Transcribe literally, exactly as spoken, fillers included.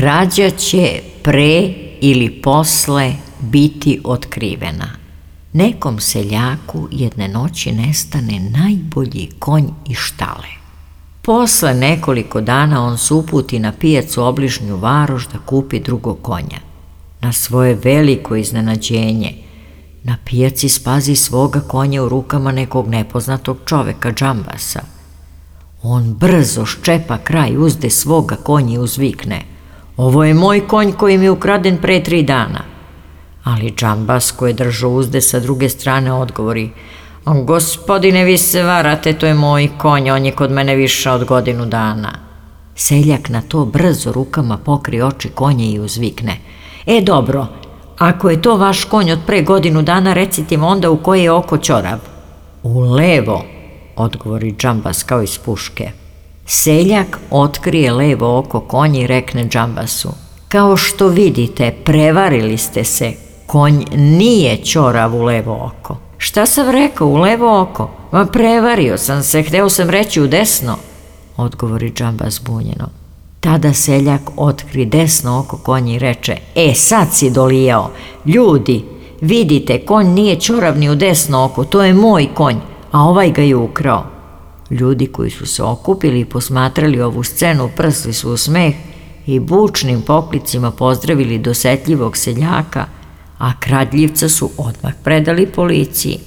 krađa će pre ili posle biti otkrivena. Nekom seljaku jedne noći nestane najbolji konj iz štale. Posle nekoliko dana on se uputi na pijacu obližnju varoš da kupi drugog konja. Na svoje veliko iznenađenje, na pijaci spazi svoga konja u rukama nekog nepoznatog čoveka, džambasa. On brzo ščepa kraj uzde svoga konja i uzvikne: "Ovo je moj konj koji mi je ukraden pre tri dana." Ali džambas koji je držao uzde sa druge strane odgovori: "Gospodine, vi se varate, to je moj konj, on je kod mene više od godinu dana." Seljak na to brzo rukama pokri oči konja i uzvikne: "E dobro, ako je to vaš konj od pre godinu dana, recite mi onda u koje je oko ćorav." "U levo," odgovori džambas kao iz puške. Seljak otkrije levo oko konja i rekne džambasu: "Kao što vidite, prevarili ste se, konj nije ćorav u levo oko." "Šta sam rekao, u levo oko? Ma prevario sam se, hteo sam reći u desno," odgovori džambas bunjeno. Tada seljak otkri desno oko konja i reče: "E, sad si dolijao. Ljudi, vidite, konj nije ćorav ni u desno oko, to je moj konj, a ovaj ga je ukrao." Ljudi koji su se okupili i posmatrali ovu scenu prsli su u smeh i bučnim poklicima pozdravili dosetljivog seljaka, a kradljivca su odmah predali policiji.